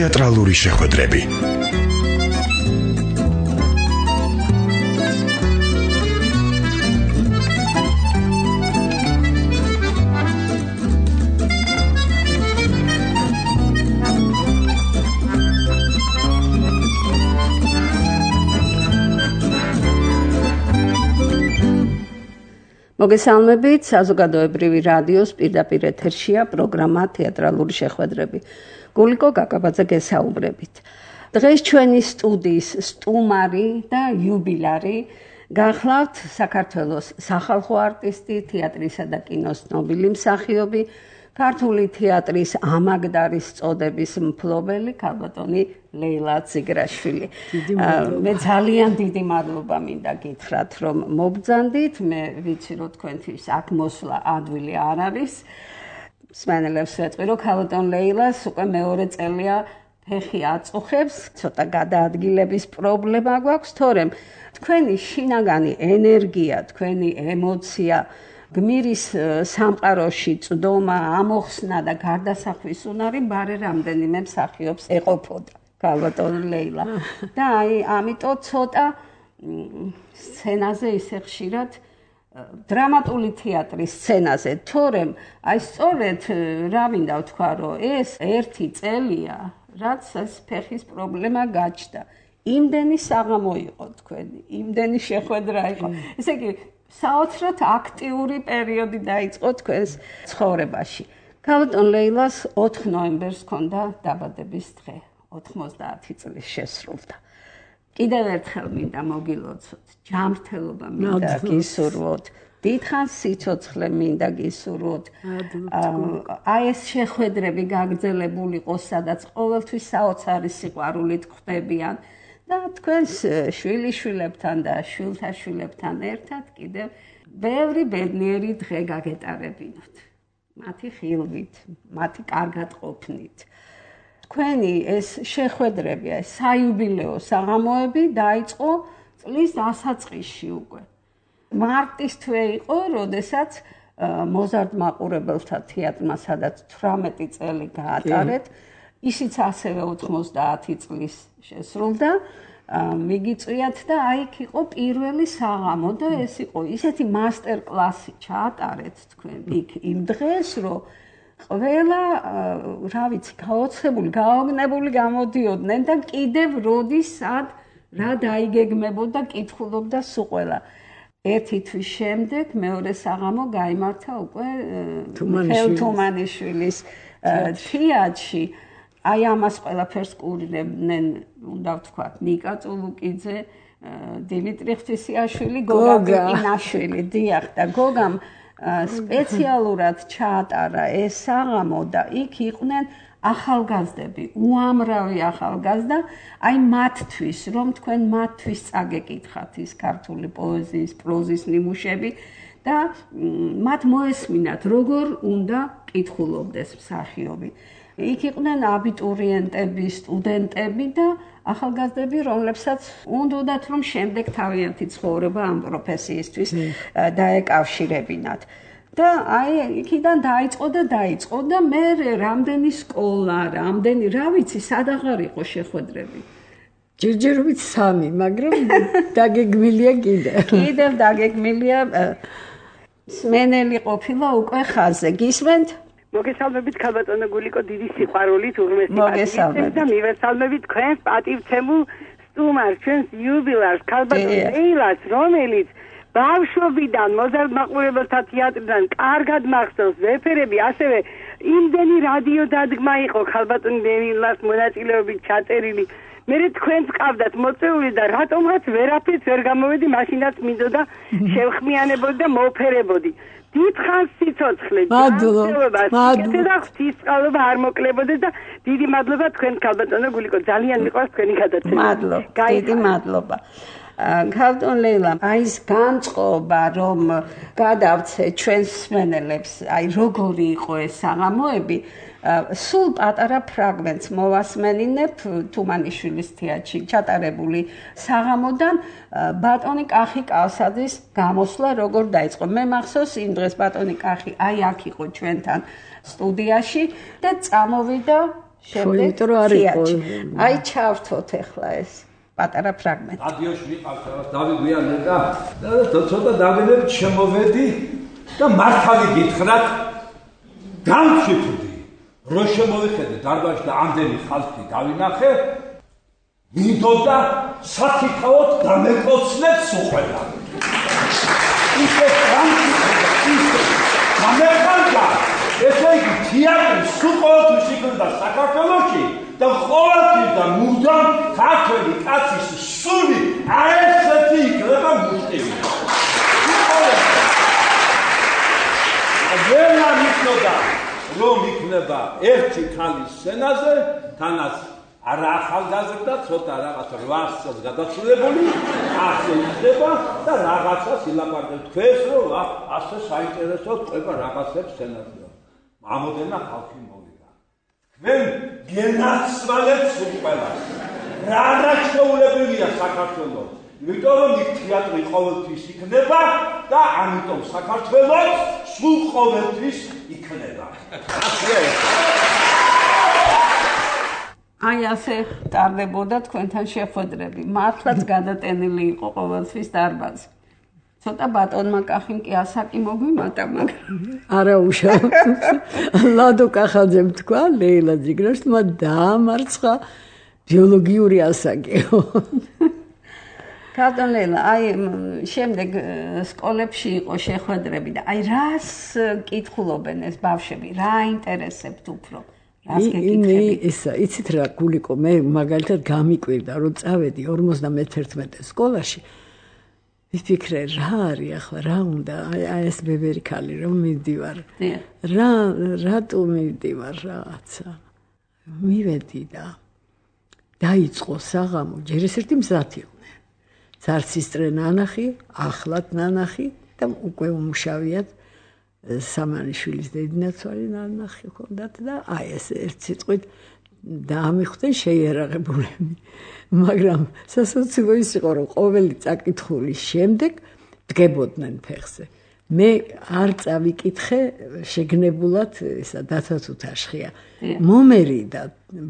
თეატრალური შეხვედრები. მოგესალმებით, საზოგადოებრივი რადიოს პირდაპირ ეთერშია პროგრამა თეატრალური შეხვედრები. გულიკო გაკაბაძე გესაუბრებით. დღეს ჩვენი სტუდიის სტუმარი და იუბილარი გახლავთ საქართველოს სახალხო არტისტი, თეატრისა და კინოს ცნობილი მსახიობი, ქართული თეატრის ამაგდარის წოდების მფლობელი ქალბატონი ლეილა ძიგრაშვილი. მე ძალიან დიდი მადლობა მინდა გითხრათ, რომ მობრძანდით. მე ვიცი, რომ თქვენთვის აქ მოსვლა ადვილი არ არის. მსმენელებს ვეტყვი, რომ ქალბატონ ლეილას უკვე მეორე წელია ფეხი აწუხებს, ცოტა გადაადგილების პრობლემა გვაქვს, თორემ თქვენი შინაგანი ენერგია, თქვენი ემოცია, გმირის სამყაროში წვდომა, ამოხსნა და გარდასახვის უნარი ბარე რამდენიმე მსახიობს ეყოფოდა ქალბატონ ლეილა. და ამიტომ ცოტა სცენაზე ისე ხშირად დრამატული თეატრის სცენაზე, თორემ სწორედ რა მინდა ვთქვა, რომ ეს ერთი წელია, რაც ეს ფეხის პრობლემა გაჩნდა. იმდენი საღამო იყო თქვენი, იმდენი შეხვედრა იყო. ესე იგი საოცრად აქტიური პერიოდი დაიწყო თქვენს ცხოვრებაში. ქალბატონ ლეილას 4 ნოემბერს ჰქონდა დაბადების დღე, 90 წლის შესრულდა. კიდევ ერთხელ მინდა მოგილოცოთ, ჯანმრთელობა მინდა გისურვოთ, დიდხანს სიცოცხლე მინდა გისურვოთ. ეს შეხვედრები გაგრძელებული იყოს, სადაც ყოველთვის საოცარი სიყვარულით ხვდებიან. და თქვენს შვილიშვილებთან და შვილთაშვილებთან ერთად კიდევ ბევრი ბედნიერი დღე გაგეტარებინოთ. მათი ხილვით, მათი კარგად ყოფნით. თქვენი ეს შეხვედრები, საიუბილეო საღამოები დაიწყო წლის დასაწყისში უკვე. მარტის თვე იყო, როდესაც მოზარდ მაყურებელთა თეატრმა, სადაც 18 წელი გაატარეთ, ისიც ასევე 90 წლის შესრულდა. მიგიწვიათ და იქ იყო პირველი საღამო და ეს იყო ისეთი მასტერ კლასი ჩაატარეთ თქვენ იქ იმ დღეს, რომ ყველა რა ვიცი, გაოცებული, გაოგნებული გამოდიოდნენ და კიდევ როდის სად რა დაიგეგმებოდა, კითხულობდა სულ ყველა. ერთი თვის შემდეგ მეორე საღამო გაიმართა უკვე თუმანიშვილის თეატრში. ამას ყველაფერს კურნებდნენ, უნდა ვთქვათ, ნიკა წულუკიძე, დიმიტრი ღვთისიაშვილი, გოგა კინაშვილი, დიახ, და გოგამ სპეციალურად ჩაატარა ეს საღამო და იქ იყვნენ ახალგაზრდები, უამრავი ახალგაზრდა, მათთვის, რომ თქვენ მათთვის წაგეკითხათ ის ქართული პოეზიის, პროზის ნიმუშები და მათ მოესმინათ, როგორ უნდა კითხულობდეს მსახიობი. იქ იყვნენ აბიტურიენტები, სტუდენტები და ახალგაზრდები, რომლებსაც უნდათ, რომ შემდეგ თავიანთი ცხოვრება ამ პროფესიისთვის დაეკავშირებინათ. და იქიდან დაიწყო და მე რამდენი სკოლა, რამდენი, რა ვიცი, სადაღარ იყო შეხვედრები. ჯერჯერობით 3, მაგრამ დაგეგმილია კიდევ დაგეგმილია. სმენელი ყოფილა უკვე ხაზზე. გისმენთ? მოგესალმებით ქალბატონო გულიკო, დიდი სიყვარულით უღმესი პატივისცემით და მივესალმებით თქვენს პატივცემულ სტუმარს, ჩვენს იუბილარს, ქალბატონ ლეილას, რომელიც ბავშვობიდან მოზარდ მაყურებელთა თეატრიდან კარგად მახსოვს ვეფერები, ასევე იმდენი რადიო დადგმა იყო ქალბატონ ლეილას მონაწილეობით ჩაწერილი. მე თქვენს ყავდათ მოწეული და რატომღაც ვერაფერს ვერ გამოვედი, მაშინაც მინდოდა შევხმიანებოდი და მოფერებოდი. დიდხანს სიცოცხლე, მადლობა, და ღვთისწყალობა არ მოკლებოდეს და დიდი მადლობა თქვენ ქალბატონო გულიკო, ძალიან მიყვარს თქვენი გადაცემა. მადლობა, დიდი მადლობა. ქალბატონ ლეილა, ის განწყობა, რომ გადავცე ჩვენს მსმენელებს, როგორი იყო ეს საღამოები, სულ პატარა ფრაგმენტს მოვასმენინებ თუმანიშვილის თეატრში ჩატარებული საღამოდან ბატონი კახი კალსაძის გამოსვლა როგორ დაიწყო. მე მახსოვს იმ დღეს ბატონი კახი აქ იყო ჩვენთან სტუდიაში და წამოვიდა შემდეგ თეატრში. აი ჩავრთოთ ახლა ეს პატარა ფრაგმენტი. რადიოში მიყავს რაღაც დავიგვიანე და ცოტა დავინებ შემოვედი და მართალი გითხრათ გამჩიფდი რო შემოვიხედე დარბაზში და ამდენი ხალხი დავინახე მინდოდა საკითხავთ დამეკოცნებს უყველა ისე გამჩიფდა ესე იგი თეატრი სულ ყოველთვის იქნება საქართველოში და ყოველთვის და მუდამ ქართველი კაცის სული აერთეთი იქნება მუსტივი. ვერა მიცნობდა რომ იქნება ერთი ქალის სცენაზე, თანაც არა ახალგაზრდა, ცოტა რაღაც 8 წელს გადასულებული, ასე იქნება და რაღაცას ილაპარაკებს თქვენს რომ ასე საინტერესოდ ყובה რაღაცებს სცენაზე. ამოდენა ხალხი მოვიდა. თქვენ გენაცვალებთ სულ ყველას. რა არაჩვეულებრივია საქართველოს. იმიტომ რომ იქ თეატრი ყოველთვის იქნება და ამიტომ საქართველოს სულ ყოველთვის იქნება. აი ასე ტარდებოდა თქვენთან შეხვედრები. მართლაც გადატენილი იყო ყოველთვის დარბაზი. ცოტა ბატონმა კახიმ კი ასაკი მოგვიმატა, მაგრამ არა უშავ. ლადო კახაძემ თქვა ლეილა ძიგრაშმა დაამარცხა ბიოლოგიური ასაკიო. კატონ ლეილა, აი შემდეგ სკოლებში იყო შეხვედრები და აი რას კითხულობენ ეს ბავშვები, რა ინტერესებთ უფრო? რას გეკითხებით? იცით რა გულიკო, მე მაგალითად გამიკვირდა რომ წავედი 51 სკოლაში. ვიფიქრე რა არის ახლა რა უნდა აი ეს ბებერი ქალი რომ მივდივარ რატო მივდივარ რაღაცა მივედი და დაიწყო საღამო ჯერ ეს ერთი მზად იყვნენ ცარცისტრე ნანახი ახლად ნანახი და უკვე უმუშავიათ სამანიშვილის დედნაცვალი ნანახი ჰქონდათ და აი ეს ერთ სიტყვით დაამიხვდნენ შეიარაღებულები მაგრამ სასაცილო ის იყო რომ ყოველი წაკითხulis შემდეგ დგებოდნენ ფეხზე მე არ წავიკითხე შეგნებულად ისა დათათუთაშხია მომერიდა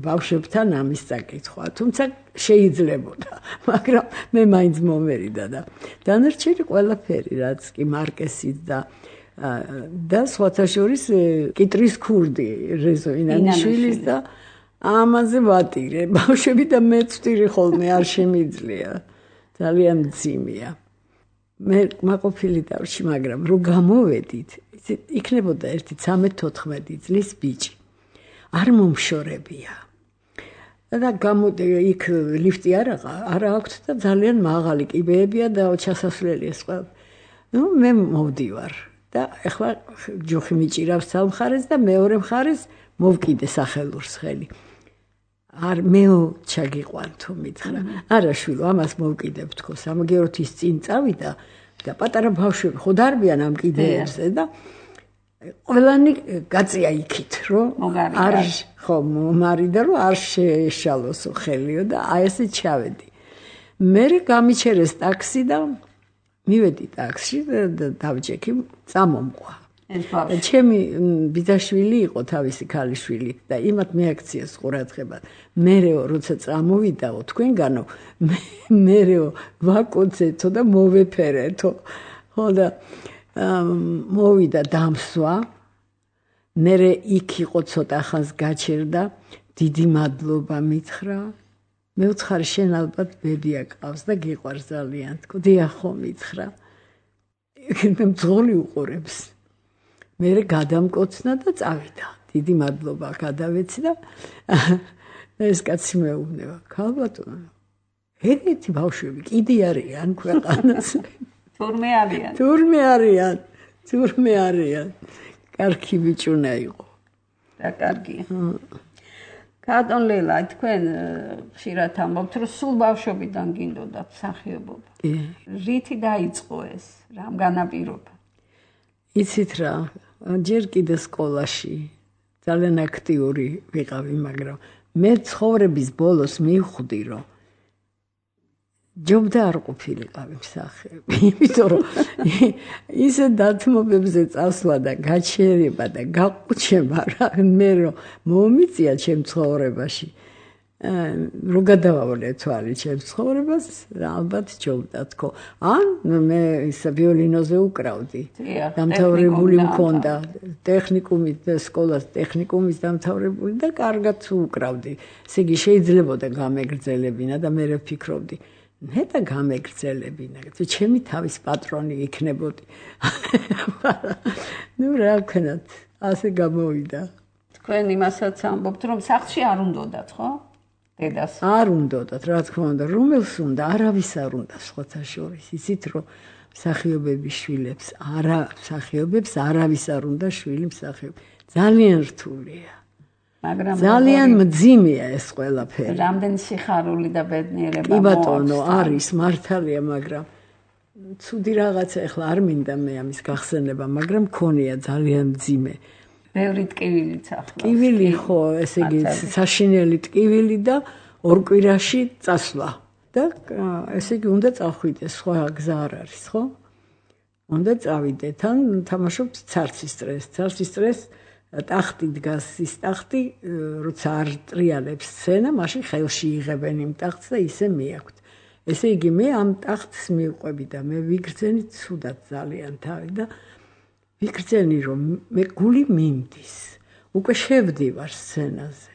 ბავშვებთან ამის წაკითხვა თუმცა შეიძლებოდა მაგრამ მე მაინც მომერიდა და დანარჩენი ყველაფერი რაც კი მარკესიც და სხვათა შორის კიტრის ქურდი რეზო ინანიშვილის და ამაზე ვატირე ბავშვები და მეც ვტირი ხოლმე არ შემიძლია ძალიან მძიმეა მე მაყოფილი დავში მაგრამ რო გამოვედით იქნებოდა ერთი 13-14 წლის ბიჭი არ მომშორებია და გამოდი იქ ლიფტი არა აქვთ და ძალიან მაღალი კიბეებია და ჩასასვლელი ეს ყველა ნუ მე მოვდივარ და ახლა ჯოხი მიჭირავს სამხარეს და მეორე მხარეს მოვკიდე სახელურს ხელი არ მეო ჩაგიყვან თუ მითხრა არა შვილო ამას მოვკიდებ თქო სამაგეროთ ის წინ წავიდა და პატარა ბავშვები ხო დარბიან ამ კიდეებზე და ყველანი გაწია იქით რომ არ ხო მომარიდა რომ არ შეეშალოსო ხელიო და აი ესე ჩავედი მე გამიჩერეს ტაქსი და მივედი ტაქსში და დავჭექი წამომყვა ჩემი ბიძაშვილი იყო თავისი ქალიშვილი და იმათ მეაქციეს ყურადღება მერეო როცა წამოვიდაო თქვენგანო მერეო ვაკოცეთო და მოვეფერეთო ხო და მოვიდა დამსვა მერე იქ იყო ცოტა ხანს გაჩერდა დიდი მადლობა მითხრა მე ვცხარი შენ ალბათ ბებია ყავს და გიყვარს ძალიან თქო დიახ ხო მითხრა მე მძღოლი უყურებს მე გადამკოცნა და წავიდა დიდი მადლობა გადავეცი და ეს კაცი მეუბნება ქალბატონო ერთი ბავშვები კიდე არიან ქვეყანაზე თურმე არიან კარგი ბიჭუნა იყო და კარგი კატონ ლეილა თქვენ ხშირად ამბობთ რომ სულ ბავშვობიდან გინდოდათ მსახიობობა რითი დაიწყო ეს რამ განაპირობა იცით რა ჯერ კიდე სკოლაში ძალიან აქტიური ვიყავი მაგრამ მე ცხოვრების ბოლოს მივხვდი რომ ჯობდა არ ყოფილიყავი მსახიობი, იმიტომ რომ ისე დათმობებზე წასვლა და გაჩერება და გაყუჩება რა მე რომ მომიწია ჩემ ცხოვრებაში. რო გადავავლე თვალი ჩემ ცხოვრებას, ალბათ ჯობდა თქო. ან მე ისა ვიოლინოზე უკრავდი. დამთავრებული მქონდა ტექნიკუმის სკოლას ტექნიკუმის დამთავრებული და კარგად უკრავდი. ესე იგი შეიძლებოდა გამეგრძელებინა და მე ვფიქრობდი ნეტა გამეგრძელებინა, ჩემი თავის პატრონი იქნებოდი. ნუ რა ვქნათ, ასე გამოვიდა. თქვენ იმასაც ამბობთ, რომ სახლში არ უნდათ, ხო? დედას. არ უნდათ, რა თქმა უნდა, რომელს უნდა, არავის არ უნდა სხვათა შორის. იცით რომ მსახიობების შვილებს, მსახიობებს არავის არ უნდა შვილი მსახიობ. ძალიან რთულია. მაგრამ ძალიან მძიმეა ეს ყველაფერი. რამდენი სიხარული და ბედნიერება კი ბატონო, არის მართალია, მაგრამ ცუდი რაღაცა ახლა არ მინდა მე ამის გახსენება, მაგრამ მქონია ძალიან მძიმე. ბევრი ტკივილიც ახლა. ტკივილი ხო, ესე იგი საშინელი ტკივილი და ორ კვირაში წასვლა. და ესე იგი უნდა წახვიდეს, სხვა გზა არ არის, ხო? უნდა წავიდეთ, ან თამაშობთ ცარცის წრეს. ცარცის წრეს ტახტი დგას, ის ტახტი, როცა არ ტრიალებს სცენა, მაშინ ხელში იღებენ იმ ტახტს და ისე მიაქვთ. ესე იგი მე ამ ტახტს მივყვები და მე ვიგრძენი ცუდად ძალიან თავი და ვიგრძენი რომ მე გული მინდის. უკვე შევდივარ სცენაზე.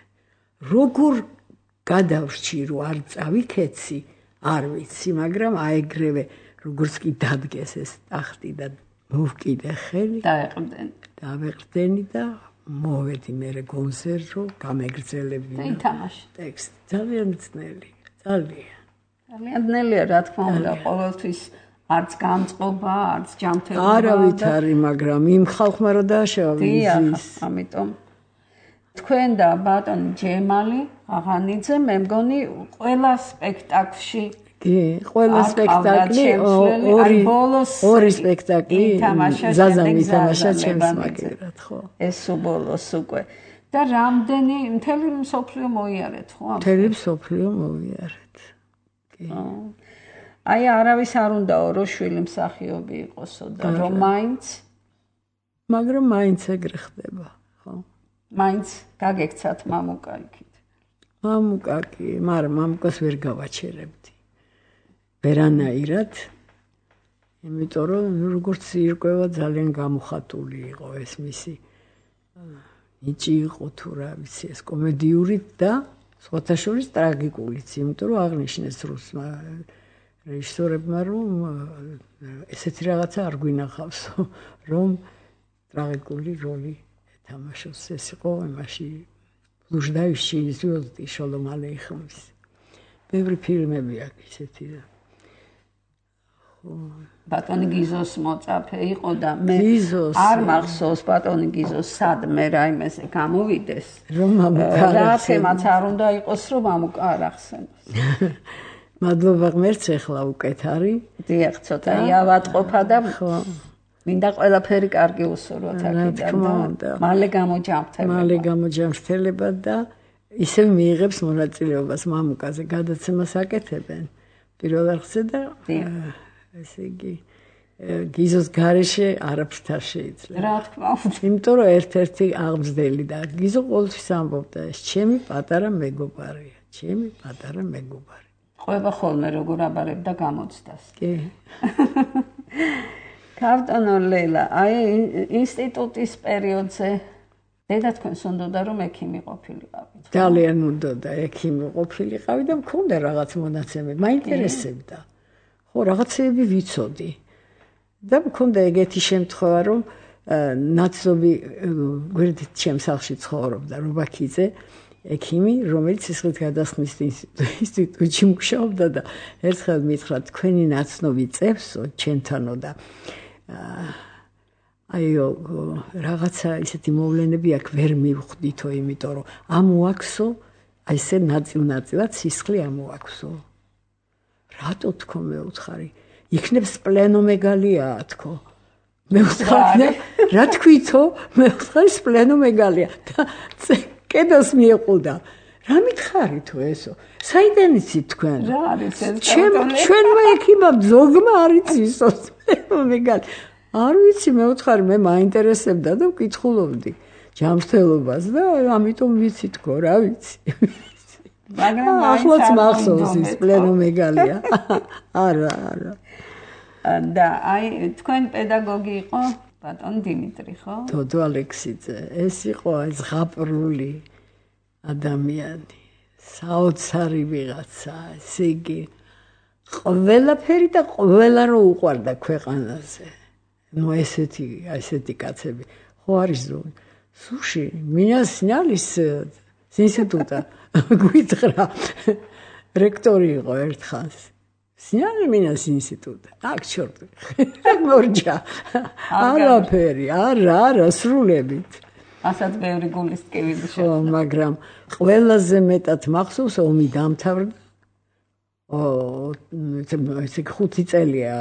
როგორ გადავრჩი რომ არ წავიქეცი, არ ვიცი, მაგრამ აეგრევე როგორც კი დადგეს ეს ტახტი და მოვკიდე ხელი, დავეყრდენი და მოვედი მე კონცერტ რომ გამეგრძელებინა. და ითამაშე. ტექსტი ძალიან ძნელი, ძალიან. ძალიან ძნელია, რა თქმა უნდა, ყოველთვის არც გამწყობა, არც ჯანმრთელობა. არავითარი, მაგრამ იმ ხალხმა რა დააშავა ვიზის. ამიტომ თქვენ და ბატონი ჯემალი აღანიძე მე მგონი ყველა სპექტაკლში კი, ყველა სპექტაკლი ორი სპექტაკლი ზაზამ ითამაშა ჩემს მაგერად, ხო? ეს უბოლოს უკვე. და რამდენი მთელი მსოფლიო მოიარეთ, ხო? მთელი მსოფლიო მოიარეთ. კი. აი არავის არ უნდაო რომ შვილი მსახიობი იყოსო და რომ მაინც მაგრამ მაინც ეგრე ხდება, ხო? მაინც გაგექცათ მამუკა იქით. მამუკა კი, მაგრამ მამუკას ვერ გავაჩერებდი. ვერანაირად, იმიტომ რომ როგორც ირკვევა ძალიან გამოხატული იყო ეს მისი ნიჭი იყო თუ რა ვიცი ეს კომედიური და სხვათა შორის ტრაგიკულიც, იმიტომ რომ აღნიშნეს რუსმა რეჟისორებმა რომ ესეთი რაღაცა არ გვინახავსო, რომ ტრაგიკული როლი ეთამაშოს. ეს იყო იმაში ბლუჟდაევში ზვიოზდი შოლომ ალეიხმის. ბევრი ფილმები აქვს ისეთი და ბატონი გიზოს მოწაფე იყო და მე არ მახსოვს ბატონი გიზოს სადმე რაიმეზე გამოვიდეს რომ მამუკა რა თემაც არ უნდა იყოს რომ მამუკა არ ახსენოს. მადლობა ღმერთს ახლა უკეთ არის. დიახ, ცოტა იავატყოფა და მინდა ყველაფერი კარგი უსურვოთ აქედან და მალე გამოჯამრთელება და ისევ მიიღებს მონაწილეობას მამუკაზე, გადაცემას აკეთებენ პირველ რიგში და ესე იგი გიზოს გარეშე არაფრით არ შეიძლება. რა თქმა უნდა. იმიტომ რომ ერთ-ერთი აღმზრდელი და გიზო ყოველთვის ამბობდა ეს ჩემი პატარა მეგობარია, ჩემი პატარა მეგობარი. ყვება ხოლმე როგორ აბარებდა გამოცდას. კი. ბატონო ლელა, აი ინსტიტუტის პერიოდზე დედა თქვენს უნდოდა რომ ექიმი ყოფილიყავით. ძალიან უნდოდა ექიმი ყოფილიყავი და მქონდა რაღაც მონაცემები, მაინტერესებდა. ხო, რაღაცეები ვიცოდი. და მქონდა ეგეთი შემთხვევა რომ ნაცნობი გვერდით ჩემს სახლში ცხოვრობდა რობაქიძე, ექიმი, რომელიც სისხლით გადასხმის ინსტიტუტში მუშაობდა და ერთხელ მითხრა თქვენი ნაცნობი წევსო ჩემთანო და აიო რაღაცა ისეთი მოვლენები აქ ვერ მივხვდითო, იმიტომ რომ ამოაქვსო, აი ესე ნაწილ-ნაწილად სისხლი ამოაქვსო. რატო თქო მე უთხარი? იქნებ სპლენომეგალიაა თქო. მე უთხარი, რა თქვითო? მე უთხარი სპლენომეგალია და კედელს მიეყუდა. რა მითხარი თუ ესო? საიდან იცით თქვენ? რა არის ეს? ჩვენმა ექიმამ ზოგმა არ იცისოს. მეგან არ ვიცი მე ვთხარი მე მაინტერესებდა და ვკითხულობდი ჯანმრთელობას და ამიტომ ვიცი თქო რა ვიცი. მაგრამ ახლაც მახსოვს ის პლენომეგალია. არა. და აი თქვენ პედაგოგი იყო ბატონ დიმიტრი ხო? დოდო ალექსიძე ეს იყო ეს ზღაპრული ადამიანი საოცარი ვიღაცა ესე იგი ყველაფერი და ყველა რო უყვარდა ქვეყანაზე ну ესეთი კაცები ხო არის ზოგი სუში меня сняли с института გვითხრა რექტორი იყო ერთხანს сняли меня с института так черт მორჯა არაფერი არა სრულებით ასაც ბევრი გულის ტკივილი ხო მაგრამ ყველაზე მეტად მახსოვს ომი დამთავრდა ესე 5 წელია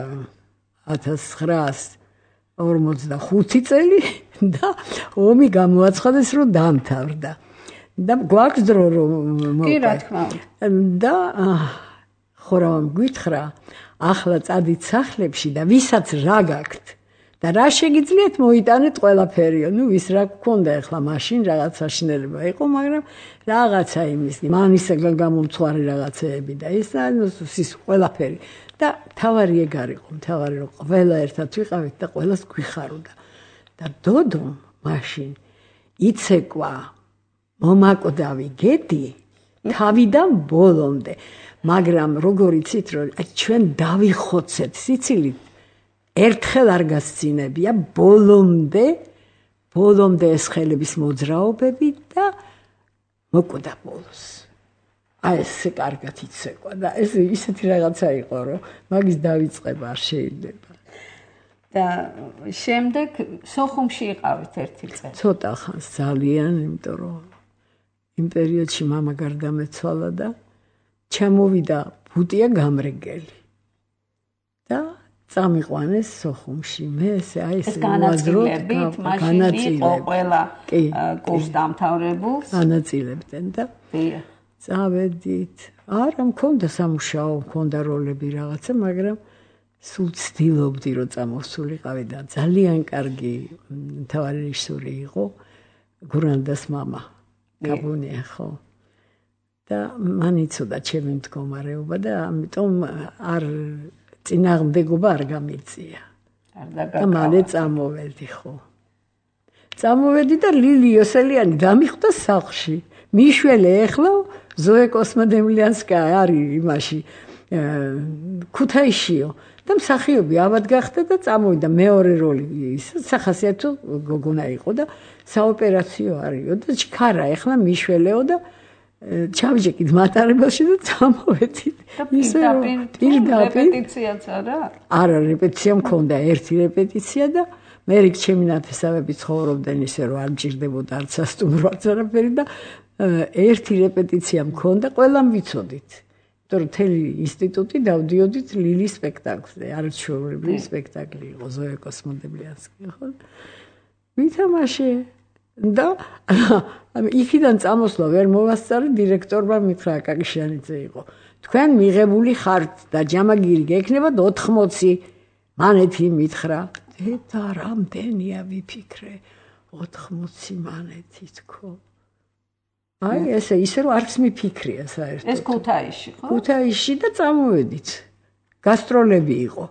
1945 წელი და ომი გამოაცხადეს რომ დამთავრდა და გვაქვს დრო რომ კი რა თქმა უნდა და ხო რა გვითხრა ახლა წადით სახლებში და ვისაც რა გაქვთ და რა შეგიძლიათ მოიტანეთ ყველაფერიო ნუ ვის რა გქონდა ახლა მაშინ რაღაცა შინელება იყო მაგრამ რაღაცა იმის მანისაგან გამომცხვარი რაღაცეები და ის ყველაფერი და თავარი ეგ არისო თავარი რომ ყველა ერთად ვიყავით და ყველას გვიხაროდა და დოდო მაშინ იცეკვა მომაკვდავი გედი თავიდან ბოლომდე მაგრამ როგორ იცით რომ ჩვენ დავიხოცეთ სიცილით ერთხელ არ გასცინებია ბოლომდე ეს ხელების მოძრაობები და მოკვდა ბოლოს აი ესე კარგად იცეკვა და ეს ისეთი რაღაცა იყო რომ მაგის დავიწყება არ შეიძლება და შემდეგ სოხუმში იყავით ერთი წელი ცოტა ხანს ძალიან იმიტომ რომ იმ პერიოდში მამა გარდამეცვალა და ჩამოვიდა ბუტია გამრეგელი და წამიყვანეს სოხუმში მე აი ეს განაწილებით მაშინ იყო ყველა კურს დამთავრებულს განაწილებდნენ და წავედით არა მქონდა სამუშაო მქონდა როლები რაღაცა მაგრამ სულ ცდილობდი რომ წამოვსულიყავი და ძალიან კარგი მთავარი რეჟისორი იყო გურანდას მამა გაბუნია ხო და მან იცოდა ჩემი მდგომარეობა და ამიტომ არ წინააღმდეგობა არ გამიწია და მალე წამოვედი ხო წამოვედი და ლილი იოსელიანი დამიხვდა სახლში მიშველე ეხლა ზოე კოსმოდემლიანსკაია არის იმაში ქუთაისშიო და მსახიობი ავად გახდა და წამოვიდა მეორე როლი ის სახასიათო გოგონა იყო და საოპერაციო არისო და ჩქარა ეხლა მიშველეო და ჩავიჭეკით მატარებელში და წამოვედით ისე რეპეტიციაც არა რეპეტიცია მქონდა ერთი რეპეტიცია და მე რიგ ჩემი ნათესავები ცხოვრობდნენ ისე რომ არ მჭირდებოდა არც სასტუმრო არც არაფერი და ერთი რეპეტიცია მქონდა ყველამ ვიცოდით იმიტომ რომ თელი ინსტიტუტი დავდიოდით ლილის სპექტაკლზე არაჩვეულებრივი სპექტაკლი იყო ზოე კოსმოდემლიანსკი ხო ვითამაშე და იქიდან წამოსვლა ვერ მოვასწარი დირექტორმა მითხრა აკაკიშიანიძე იყო თქვენ მიღებული ხართ და ჯამაგირი გექნებათ 80 მანეთი მითხრა და რამდენია ვიფიქრე 80 მანეთი თქო აი ესე ისე რომ არც მიფიქრია საერთოდ ეს ქუთაისში ხო ქუთაისში და წამოვედით გასტროლები იყო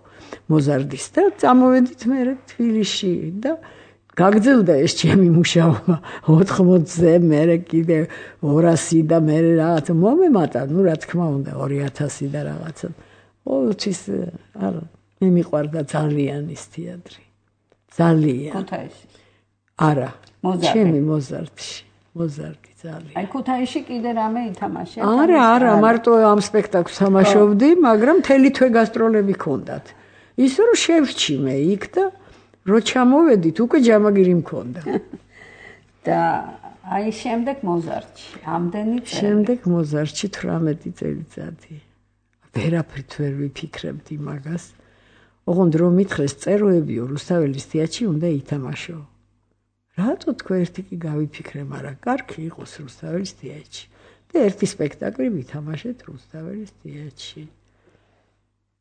მოზარდის და წამოვედით მე თბილისში და გაგძელდა ეს ჩემი მუშაობა 80-ზე მე კიდე 200 და მე რაღაც მომემატა ნუ რა თქმა უნდა 2000 და რაღაცა ყოველთვის არა მე მიყვარდა ძალიან ის თეატრი ძალიან ქუთაისში არა ჩემი მოზარდი ძალიან აი ქუთაისში კიდე რამე ითამაშე არა მარტო ამ სპექტაკლს თამაშობდი მაგრამ მთელი თვე გასტროლები ქონდათ ისე რომ შევრჩი მე იქ და რო ჩამოვედით უკვე ჯამაგირი მქონდა და აი შემდეგ მოზარდში ამდენი წელი შემდეგ მოზარდში 18 წელიწადი ვერაფრით ვერ ვიფიქრებდი მაგას ოღონდ რომ მითხრეს წეროებიო რუსთაველის თეატრში უნდა ითამაშო რატო თქვენ ერთი კი გავიფიქრე მაგრამ კარგი იყოს რუსთაველის თეატრში და და ერთი სპექტაკლი ვითამაშეთ რუსთაველის თეატრში.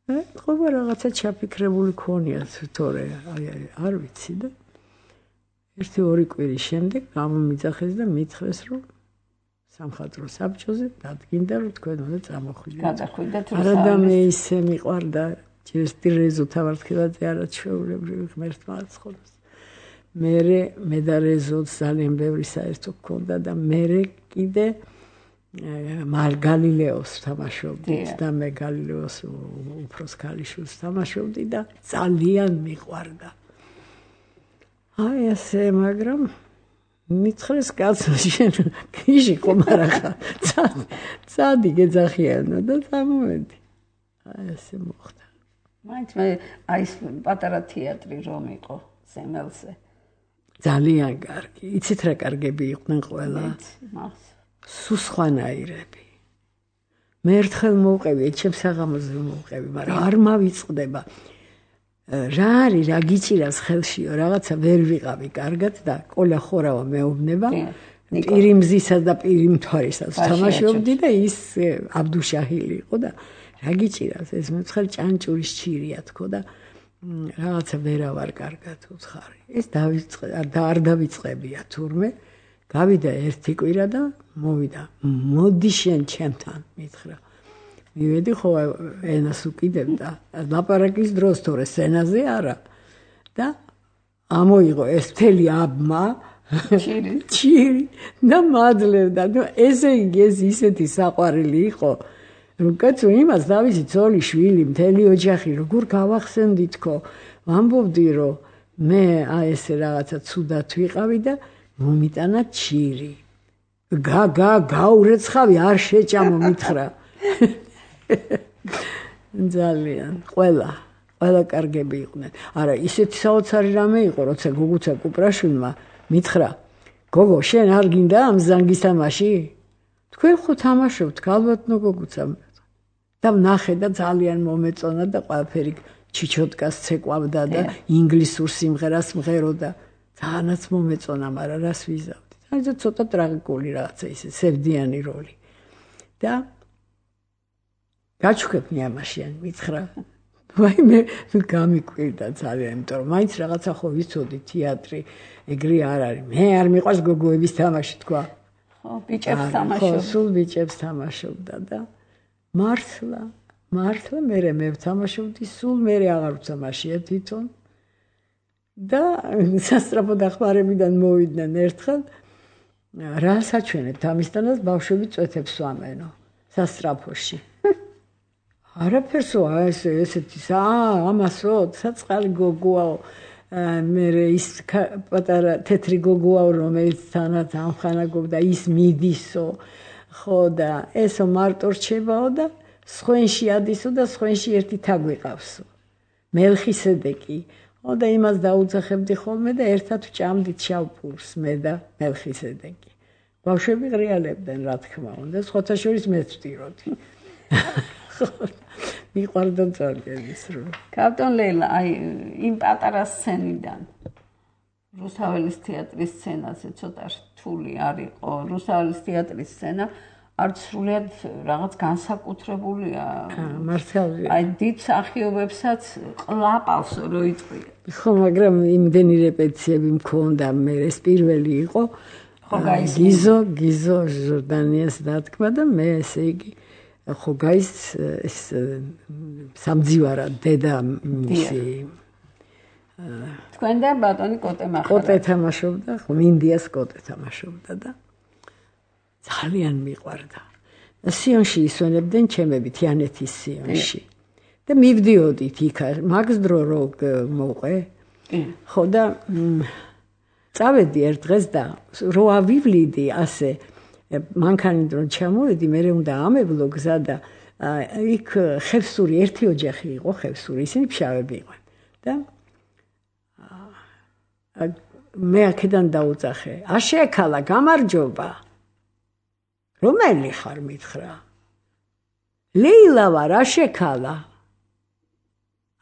ყობა რაღაცა ჩაფიქრებული ქონია თორე არ ვიცი და ერთი ორი კვირის შემდეგ გამომიძახეს და მითხრეს რომ სამხატვრო საბჭოზე დადგინდა რომ თქვენ უნდა წამოხვიდეთ. გადახვიდეთ არა და მე ისე მიყვარდა ჯერსტი რეზო თავართხილაძე არა ჩვეულებრივი ღმერთმა აცხადოს. მე და რეზოც ძალიან ბევრი საერთო გქონდა და მე კიდე galileo თამაშობდით და მე galileo-ს უფროს ქალიშვილს თამაშობდი და ძალიან მიყვარდა. აი ასე, მაგრამ მითხრეს კაცო შენ ქიში ხომ არა ხარ? წადი გეძახიანო და წამოვედი. აი ასე მოხდა. მაინც მე აი ეს პატარა თეატრი რომ იყო სემელზე. ძალიან კარგი. იცით რა კარგები იყვნენ ყველა? სულ სხვანაირები. მე ერთხელ მოვყევი, ჩემს საღამოზე მოვყევი, მაგრამ არ მავიწყდება. რა არის, რა გიჭირავს ხელშიო, რაღაცა ვერ ვიყავი კარგად და ყოლა ხორავა მეუბნება. პირი მზისა და პირი მთვარისას თამაშობდი და ის აბდუშაჰილი იყო და რა გიჭირავს ეს მეცხელ ჭანჭურის ჩირია თქო და რაღაცა ვერავარ კარგად უცხარი. ეს არ დავიწყებია თურმე. გავიდა ერთი კვირა და მოვიდა. მოდი შენ ჩემთან, მითხრა. მივედი ხო ენას უკიდებდა. ლაპარაკის დროს თორე სცენაზე არა. და ამოიღო ეს მთელი აბმა ჩირი და მადლევდა. ესე იგი ეს ისეთი საყვარელი იყო. რომ კაცო იმას დავიცი ძოლი შვილი მთელი ოჯახი როგორ გავახსენდი თქო. ვამბობდი რომ მე აი ესე რაღაცა ცუდად ვიყავი და მომიტანა ჩირი. გაურეცხავი არ შეჭამო მითხრა. ძალიან ყველა კარგები იყვნენ. არა ისეთი საოცარი რამე იყო როცა გოგუცა კუპრაშვილმა მითხრა გოგო შენ არ გინდა ამ ზანგის თამაში? თქვენ ხო თამაშობთ ალბათნო გოგუცა და ვნახე და ძალიან მომეწონა და ყველაფერი ჩიჩოტკას ცეკვავდა და ინგლისურ სიმღერას მღეროდა. ძალიანაც მომეწონა, მაგრამ რას ვიზავდი. აი ცოტა ტრაგიკული რაღაცა ისე სევდიანი როლი. და გაჩვქებნი ამაშიან, მითხრა. ვაი მე გამიკვირდა ძალიან, იმიტომ რომ მაინც რაღაცა ხო ვიცოდი თეატრი, ეგრე არ არის. მე არ მიყვარს გოგოების თამაში თქვა. ხო, ბიჭებს თამაშობდა. ხო, სულ ბიჭებს თამაშობდა და მართლა მე ვთამაშობდი, სულ მე აღარ ვთამაშია თვითონ. და სასწრაფო დახმარებიდან მოვიდნენ ერთხელ რა საჩვენებთ ამისთანაც ბავშვები წვეთებს ვამენო სასწრაფოში. არაფერსო ესეთი ამასო საწყალი გოგოაო მე ის პატარა თეთრი გოგოაო რომელიც თანაც ამხანაგობდა ის მიდისო ხო და ესო მარტო რჩებაო და სხვენში ადისო და სხვენში ერთი თაგვიყავსო მელხისედეკი და იმას დაუძახებდი ხოლმე და ერთად ვჭამდით შავ პურს მე და მელხისედეკი. ბავშვები ღრიალებდნენ რა თქმა უნდა, სხვათა შორის მეც ვტიროდი. მიყვარდა ძალიან ის რომ. კაპიტან ლეილა, აი იმ პატარა სცენიდან რუსთაველის თეატრის სცენაზე ცოტა რთული არ იყო. რუსთაველის თეატრის სცენა არც სრულიად რაღაც განსაკუთრებულია. მართალია. აი დიდ მსახიობებსაც ყლაპავს რო იწვია. ხო, მაგრამ იმდენი რეპეტიციები მქონდა, მე ეს პირველი იყო. ხო, გიზო ჟორდანიას დათქმა და მე ესე იგი ხო გაის ეს სამძივარა დედა მისი თქვენ და ბატონი კოტე მახარა. კოტე თამაშობდა, ხო, მინდიას კოტე თამაშობდა და ძალიან მიყვარდა. სიონში ისვენებდნენ ჩემები თიანეთის სიონში. და მივდიოდით იქ, მაგს დრო რო მოვყვე. ხო და წავედი ერთ დღეს და რო ავივლიდი ასე მანქანით რო ჩამოვედი, მე უნდა ამებლო გზა და იქ ხევსური ერთი ოჯახი იყო, ხევსური, ისინი ფშავები იყვნენ. და მე აქედან დაუძახე. აშეკალა, გამარჯობა. რომელი ხარ მითხრა? ლეილა ვარ, აშეკალა.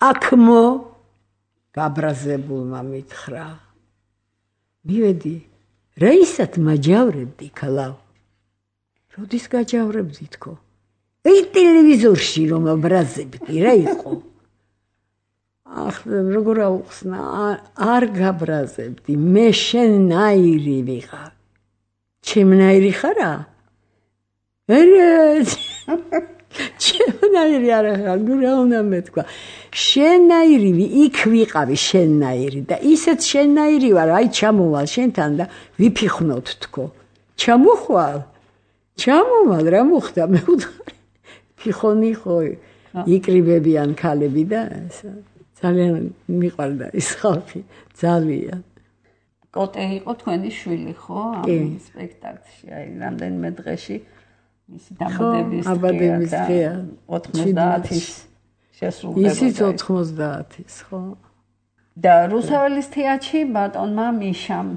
აქმო გაბრაზებულმა მითხრა. მივედი, რაისად მაჯავრებდი ქალავ. როდის გაჯავრებდი თქო? აი ტელევიზორში რომ აბრაზებდი რა იყო? როგორ აუხსნა, არ გაბრაზებდი, მე შენნაირი ვიყავ. ჩემნაირი ხარა? ჩემნაირი არა ხარ, ნუ რა უნდა მეთქვა. შენნაირი იქ ვიყავი შენნაირი და ისეთ შენნაირი ვარ, აი ჩამოვალ შენთან და ვიფიხვნოთ თქო. ჩამოხვალ? ჩამოვალ რა მოხდა მე უთხარი. ფიხონი ხო იკრიბებიან ქალები და ძალიან მიყვარდა ის ხალხი, ძალიან. კოტე იყო თქვენი შვილი, ხო? ამ სპექტაკლში, აი რამდენიმე დღეში მისი დაბადების დღეა 90-ის შესრულდება. ისიც 90-ის, ხო? და რუსაველის თეატრში ბატონმა მიშამ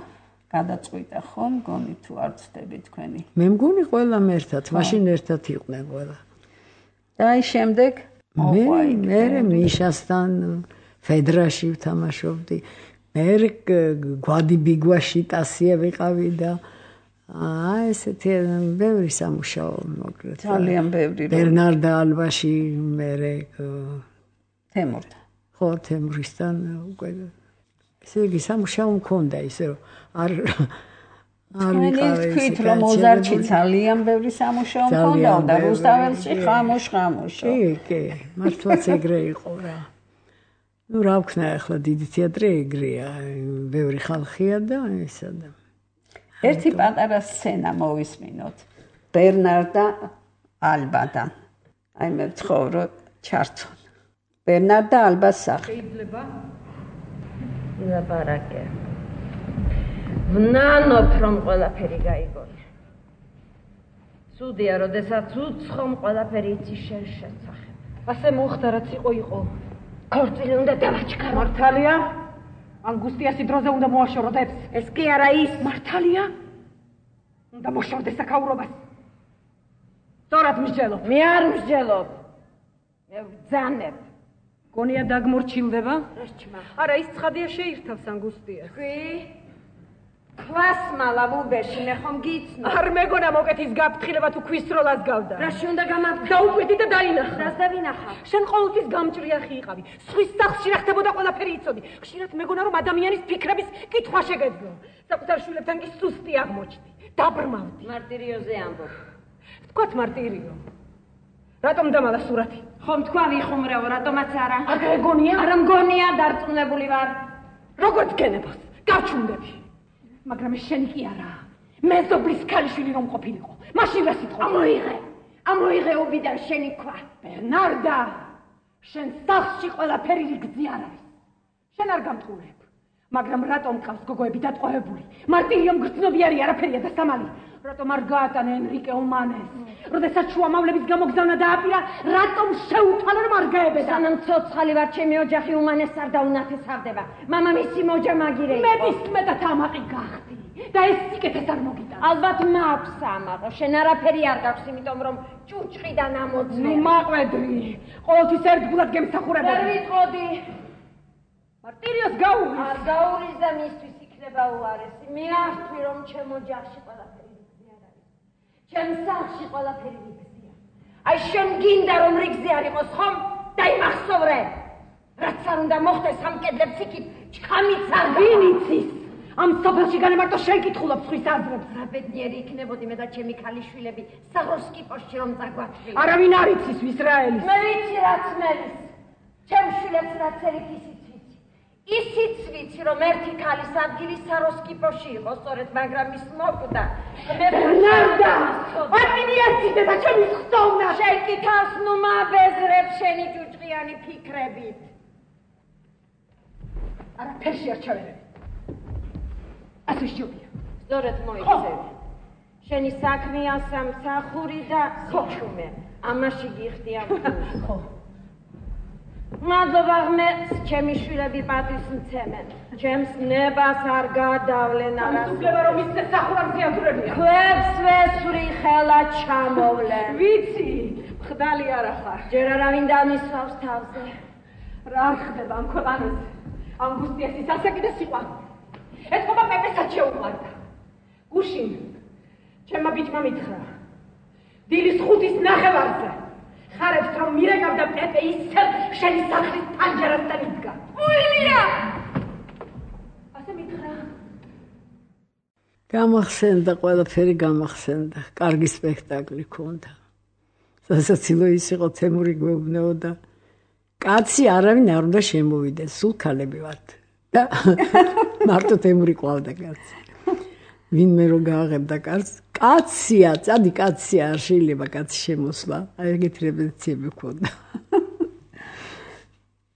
გადაწყვიტა, ხო? მგონი თუ არ ვცდები თქვენი. მე მგონი ყველამ ერთად, მაშინ ერთად იყვნენ ყველა. და აი შემდეგ მე მიშასთან ფედრაში ვთამაშობდი. მე გვადი ბიგვაში ტასია ვიყავი და ესეთი ბევრი სამუშაო მოკლედ. ძალიან ბევრი. ბერნარდა ალბაში მე თემურთან. ხო, თემურისთან უკვე ესე იგი სამუშაო მქონდა ისე რომ არ თქვით რომ მოზარდში ძალიან ბევრი სამუშაო მქონდა და რუსთაველში ხამუშ-ხამუშო. კი, მართლაც ეგრე იყო რა. ნუ რა ვქნა ახლა დიდი თეატრი ეგრეა, ბევრი ხალხია და ესა და ერთი პატარა სცენა მოვისმინოთ. ბერნარდა ალბადან. აი მე ვცხოვრო ჩარცონ. ბერნარდა ალბას სახე. შეიძლება ლაბარაკე. ვნანობ რომ ყველაფერი გაიგონე. სუდია, როდესაც უცხომ ყველაფერი იცი შენ შესახებ. ასე მოხდა რაც იყო. ქორწილი უნდა დავაჩქარო. მართალია? ანგუსტიასი დროზე უნდა მოაშორდებს. ეს კი არა ის. მართალია? უნდა მოშორდეს აქაურობას. სწორად მსჯელობ. მე არ მსჯელობ. მე ვძანებ. გონია დაგმორჩილდება? რა ჩმა? არა, ის ცხადია შეირთავს ანგუსტიას. კი? ქვასმალა ბუბეში მე ხომ გიცნობ. არ მეგონა მოკეთის გაფრთხილება თუ ქვისროლას გავდა. რაში უნდა გამაფრთხილო? დაუკვეთი და დაინახა. რას დავინახა? შენ ყოველთვის გამჭრიახი იყავი. სხვის სახლში რა ხდებოდა ყველაფერი იცოდი. ხშირად მეგონა რომ ადამიანის ფიქრების კითხვა შეგეძლო. საკუთარ შვილებთან კი სუსტი აღმოჩნდი. დაბრმავდი. მარტირიოზე ამბობ. თქვათ მარტირიო. რატომ დამალა სურათი? ხომ თქვა ვიხუმრეო, რატომაც არა? არ გეგონია? არა მგონია, დარწმუნებული ვარ. როგორც გენებას, გავჩუნდები. მაგრამ ეს შენი კი არა. მე ზობლის ქალიშვილი რომ ყოფილიყო. მაშინ რა სიტყვა? ამოიღე უბიდან შენი ქვა. ბერნარდა, შენ სახლში ყველაფერი რიგზე არ არის. შენ არ გამტყურებ. მაგრამ რატომ ყავს გოგოები დატყვევებული? მარტირიომ გრძნობიარი არაფერია და სამალი. რატომ არ გაატანა ენრიკე უმანეს? როდესაც შუამავლების გამოგზავნა დააპირა, რატომ შეუთავა რომ არ გაებედა? სანამ ცოცხალი ვარ, ჩემი ოჯახი უმანეს არ დაუნათესავდება. მამამისი მოჯამაგირე იყო. მე მისმედად ამაყი გახდი და ეს სიკეთეს არ მოგიტან. ალბათ მაქვს ამაყო, შენ არაფერი არ გაქვს, იმიტომ რომ ჭუჭყიდან ამოწმე. ნუ მაყვედრი, ყოველთვის ერთგულად გემსახურებოდი. ვერ ვიტყოდი. მარტირიოს გაურის. არ გაურის და მისთვის იქნება უარესი. მე არ ვთვლი რომ ჩემ ოჯახში ყველაფერი რიგზე არ არის. ჩემ სახლში ყველაფერი რიგზეა. აი შენ გინდა რომ რიგზე არ იყოს ხომ? დაიმახსოვრე. რაც არ უნდა მოხდეს ამ კედლებს იქით, ჩხამიც არ ვინ იცის? ამ სოფელში განემარტო შენ კითხულობ სხვის აზრებს. რა ბედნიერი იქნებოდი მე და ჩემი ქალიშვილები საღროსკიპოში რომ წაგვათვლი. არავინ არ იცის ვისრაელის. მე ვიცი რაც მელის. ჩემ შვილებს რაც ერით ისიც ვიცი. ისიც ვიცი რომ ერთი ქალის ადგილი საროსკიპოში იყო სწორედ, მაგრამ ის მოკვდა. მე ბერნარდა, ატინიაციდე და ჩემი ხსოვნა. შენ კი თავს ნუ მაბეზრებ შენი ჭუჭყიანი ფიქრებით. არაფერში არ ჩავერევი. ასე შევია. სწორედ მოიქცევი. შენი საქმეა სამსახური და სიჩუმე. ამაში გიხდი ამ ფულს. ხო. მადლობა ღმერთს, ჩემი შვილები პატივს მცემენ. ჩემს ნებას არ გადავლენ არასოდეს. უგება რომ ის სახურამზე აზრებია. ქვებს ვესვრი ხელა ჩამოვლენ. ვიცი, ხდალი არა ხარ. ჯერ არავინ დამისვავს თავზე. რა ხდება ამ ქვეყანაზე? ანგუსტიასის ასაკი და სიყვარული. ეს ხობა პეპესაც შეუყვარდა. გუშინ ჩემმა ბიჭმა მითხრა, დილის 5-ის ნახევარზე. ხარებს რომ მირეკავდა პეპე ისევ შენი სახლის პანჯარასთან იდგა. უილია! ასე მითხრა. გამახსენდა, ყველაფერი გამახსენდა. კარგი სპექტაკლი ქონდა. სასაცილო ის იყო, თემური გვეუბნებოდა. კაცი არავინ არ უნდა შემოვიდეს, სულ ქალები ვართ. და მარტო თემური ყავდა კაცი. ვინმე რო გააღებდა კარს, კაცია, წადი კაცია, არ შეიძლება კაცი შემოსვლა. აი ეგეთი რეპეტიციები ქონდა.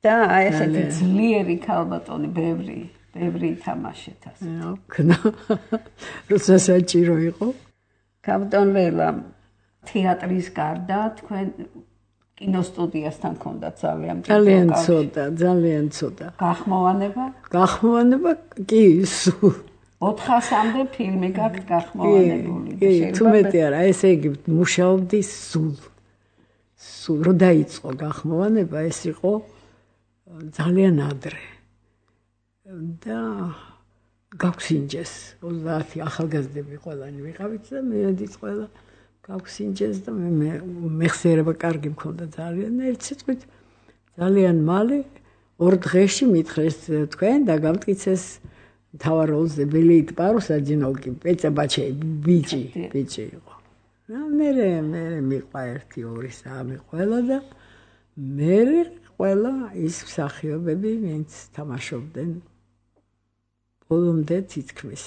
და აი ესეთი ძლიერი ქალბატონი ბევრი ითამაშეთ ასე. ქნა. როცა საჭირო იყო. ქალბატონ ლელა თეატრის გარდა თქვენ კინოსტუდიასთან ქონდათ ძალიან ცოტა. გახმოვანება კი სულ 400-მდე ფილმი გაქვთ გახმოვანებული. თუ მეტი არა, ესე იგი მუშაობდი სულ რო დაიწყო გახმოვანება, ეს იყო ძალიან ადრე. და გავქსინჯეს 30 ახალგაზრდები ყველანი ვიყავით და მედიც ყველა გავქსინჯეს და მე მეხსიერება კარგი მქონდა ძალიან. ერთ სიტყვით ძალიან მალე 2 დღეში მითხრეს თქვენ და გამტკიცეს თავარ როლზე ბელეით პარუსაჯინოვკი პეცა ბაჩეი ბიჭი იყო. მე მიყვა 1 2 3 ყველა და მე ყველა ის მსახიობები ვინც თამაშობდნენ ბოლომდე თითქმის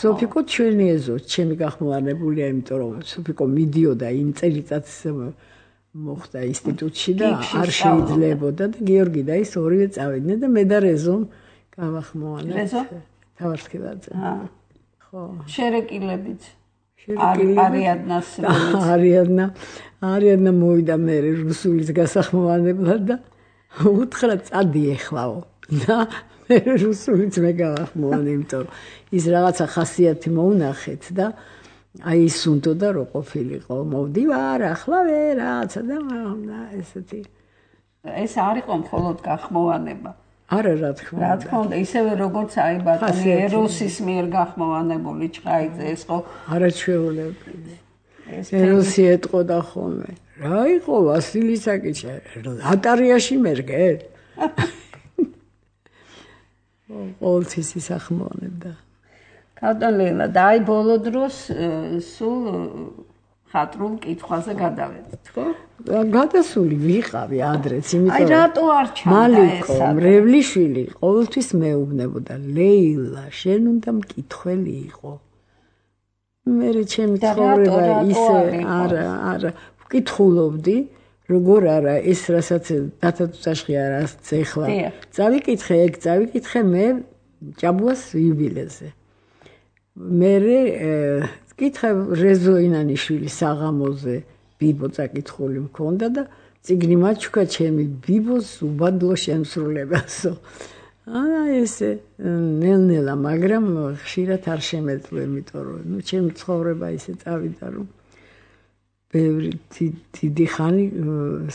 სოფიკო ჩვენი ეზო ჩემი გახმოვანებულია, იმიტომ რომ სოფიკო მიდიოდა იმ წელიწადს მოხდა ინსტიტუტში და არ შეიძლებოდა და გიორგი და ის ორივე წავიდნენ და მე და რეზომ გავახმოვანეთ. რეზო? თავარსკილაძე. ხო. შერეკილებით. არიადნა მოვიდა მე რუსულის გასახმოვანებლად და უთხრა წადი ეხლაო. და მე რუსულიც მე გავახმოვანე, იმიტომ რომ ის რაღაცა ხასიათი მოუნახეთ და აი ის უნდოდა რომ ყოფილიყო. მოვდივარ ახლა ვერაცა და ესეთი. ეს არ იყო მხოლოდ გახმოვანება. არა, რა თქმა უნდა, ისევე როგორც აი ბატონი ეროსის მიერ გახმოვანებული ჭყაიძე ეს ხო არაჩვეულები. ეროსი ეტყოდა ხოლმე. რა იყო ვასილი საკიჩა? ატარიაში მერგე? ყოველთვის ისახმოვანებდა. ქალბატონელა და აი ბოლო დროს სულ ხატრულ კითხვაზე გადავედით, ხო? გადასული ვიყავი ადრეც, იმიტომ აი რატო არ ჩანდა ეს? მალიკო მრევლიშვილი ყოველთვის მეუბნებოდა, ლეილა, შენ უნდა მკითხველი იყო. მე ჩემი ცხოვრება ისე არა, ვკითხულობდი, როგორ არა ეს რასაც დათათუშაში არას ეხლა. წავიკითხე მე ჭაბუას იუბილეზე. მე კითხე რეზო ინანიშვილის საღამოზე ბიბო წაკითხული მქონდა და წიგნი მაჩუქა ჩემი ბიბოს უბადლო შემსრულებასო. ესე ნელ-ნელა, მაგრამ ხშირად არ შემეძლო, იმიტომ რომ ჩემი ცხოვრება ისე წავიდა, რომ ბევრი დიდი ხანი